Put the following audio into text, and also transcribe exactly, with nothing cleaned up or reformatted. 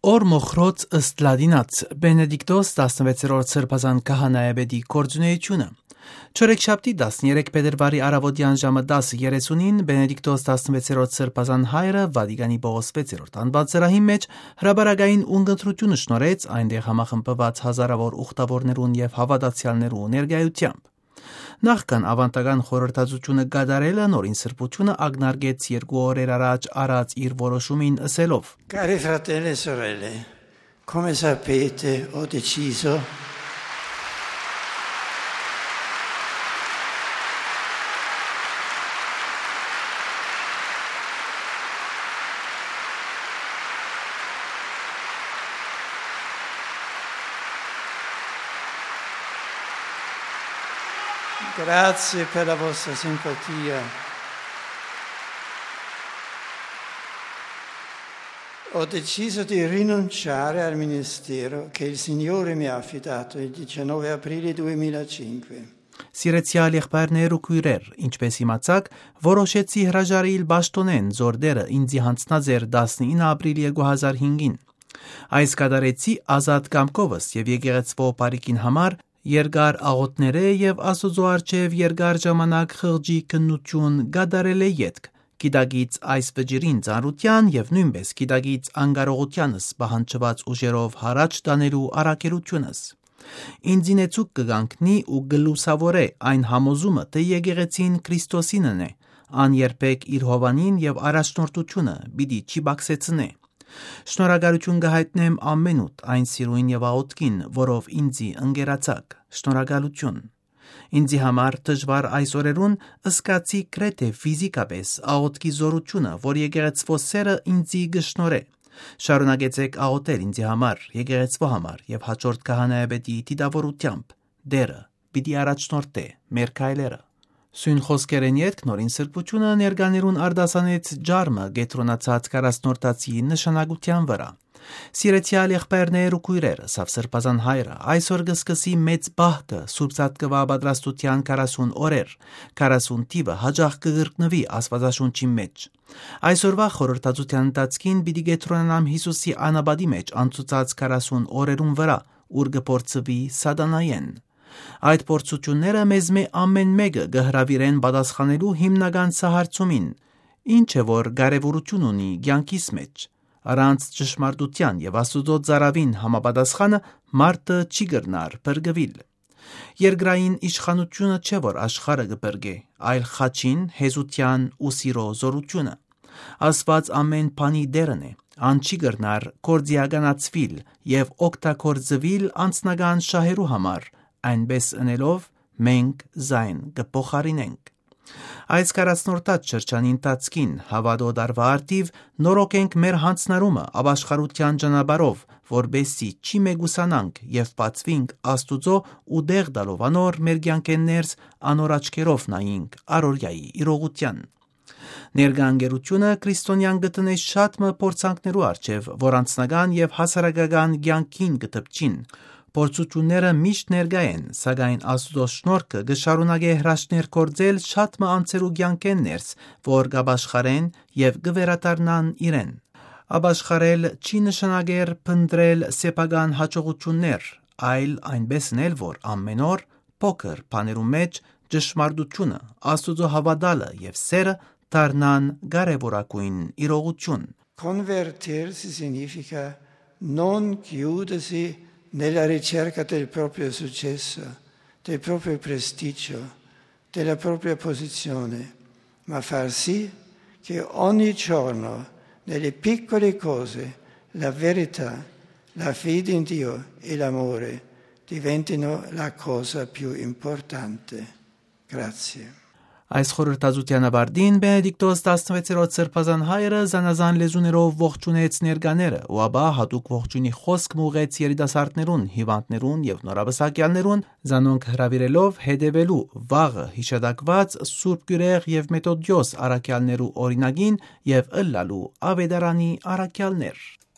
Օր մոխրոց ըստ լատինաց, Բենեդիկտոս տասնվեցերորդ սրբազան քահանայապետի գործունեությունը։ Չորեքշաբթի տասներեք փետրուարի առավոտեան ժամը տասը երեսունին Բենեդիկտոս տասնվեցերորդ սրբազան հայրը Վատիկանի Պողոս վեցերորդ անուան ծրահին մէջ հրապարակային ունգընտրութիւնը շնորհեց, այնտեղ համախմբուած հազարաւոր ուխտաւորներուն եւ հաւատացեալներու ներկայութեամբ։ Նախքան աւանդական խորհրդածութիւնը կատարելը, նորին սրբութիւնը ակնարկեց երկու օրեր առաջ առած իր որոշումին, ըսելով. Cari fratelli e sorelle, come sapete, ho deciso Grazie per la vostra simpatia. Ho deciso di rinunciare al ministero che il Signore mi ha affidato il diciannove aprile duemilacinque. Սիրեցեալ եղբայրներ ու քոյրեր, ինչպէս իմացաք, որոշեցի հրաժարիլ պաշտօնէն, զոր դերը ինծի յանձնած էր տասնինը ապրիլ երկու հազար հինգին։ Այս կատարեցի ազատ կամքովս եւ եկեղեցւոյ բարիքին համար, երկար աղօթքներէ եւ Աստուծոյ առջեւ երկար ժամանակ խղճի քննութիւն կատարելէ ետք, գիտակից այս վճիռին ծանրութեան եւ նոյնպէս գիտակից անկարողութեանս պահանջուած ուժերով յառաջ տանելու առաքելութիւնս ինծի նեցուկ կը կանգնի ու կը լուսաւորէ այն համոզումը, թէ եկեղեցին Քրիստոսինն է, ան երբեք իր հովանին եւ առաջնորդութիւնը պիտի չի պակսեցնէ։ Շնորհակալութիւն կը յայտնեմ ամենուդ այն սիրոյն եւ աղօթքին, որով ինծի ընկերացաք։ Շնորհակալութիւն։ Ինծի համար դժուար այս օրերուն զգացի գրեթէ ֆիզիկապէս աղօթքի զօրութիւնը, որ եկեղեցւոյ սերը ինծի կը շնորհէ։ Շարունակեցէք աղօթել ինծի համար, եկեղեցւոյ համար եւ յաջորդ քահանայապետի դիտաւորութեամբ Տերը պիտի առաջնորդէ մեր քայլերը։ Սոյն խօսքերէն ետք նորին սրբութիւնը ներկաներուն արտասանեց ջարմը կեդրոնացած քառասնորդացի նշանակութեան վրայ։ Սիրեցեալ եղբայրներ ու քոյրեր, ըսաւ սրբազան հայրը, այսօր կը սկսի մեծ պահքը, սուրբ Զատկուայ պատրաստութեան քառասուն օրեր, քառասուն թիվը յաճախ կը կրկնուի Աստուածաշունչին մէջ։ Այսօրուայ խորհրդածութեան ընթացքին պիտի կեդրոնանամ Յիսուսի անապատի մէջ անցուցած քառասուն օրերուն վրայ, ուր կը փորձուի սատանայէն։ Այդ փորձութիւնները մեզմէ ամէն մէկը կը հրաւիրեն պատասխանելու հիմնական սահարցումին, ինչ է որ կարեւորութիւն ունի կեանքիս մէջ։ Առանց ճշմարտութեան եւ Աստուծոյ ծառաւին համապատասխանը մարդը չի կրնար փրկուիլ։ Երկրային իշխանութիւնը չէ որ աշխարհը կը փրկէ, այլ խաչին, հեզութեան ու սիրոյ զօրութիւնը։ Աստուած ամէն բանի Տերն է, ան չի կրնար գործիականացուիլ եւ օգտագործուիլ անձնական շահերու համար, այնպէս ընելով մենք զայն կը փոխարինենք։ Այս քառասնորդաց շրջանի ընթացքին հաւատոյ տարուայ արդիւ նորոգենք մեր յանձնառումը ապաշխարութեան ճանապարհով, որպէս զի չի մեկուսանանք եւ բացուինք Աստուծոյ ու տեղ տալով անոր մեր կեանքէն ներս անոր աչքերով նայինք առօրեայի իրողութեան։ Ներկայ ընկերութիւնը քրիստոնեան կը տնէ շատ մը փորձանքներու առջեւ, որ անձնական եւ հասարակական կեանքին կը դպչին։ Փորձութիւնները միշտ ներկայ են, սակայն Աստուծոյ շնորհքը կը շարունակէ հրաշքներ գործել շատ մը անձերու կեանքէն ներս, որ կ'ապաշխարեն եւ կը վերադառնան իրեն։ Ապաշխարել չի նշանակեր փնտռել սեփական յաջողութիւններ, այլ այնպէս ընել որ ամէն օր փոքր բաներու մէջ ճշմարտութիւնը, Աստուծոյ հաւատալը եւ սերը դառնան կարեւորագոյն իրողութիւն։ Convertirsi significa non chiudersi nella ricerca del proprio successo, del proprio prestigio, della propria posizione, ma far sì che ogni giorno, nelle piccole cose, la verità, la fede in Dio e l'amore diventino la cosa più importante. Grazie. Այս խորհրդածութեան ավարտին Բենեդիկտոս տասնվեցերորդ սրբազան հայրը զանազան լեզուներով ողջունեց ներկաները ու ապա յատուկ ողջունի խօսք մը ուղղեց երիտասարդներուն, հիւանդներուն եւ նորապսակեալներուն, զանոնք հրաւիրելով հետեւելու վաղը յիշատակուած Սուրբ Կիւրեղի եւ Մեթոդիոս առաքեալներու օրինակին եւ ըլլալու աւետարանի առաքեալներ։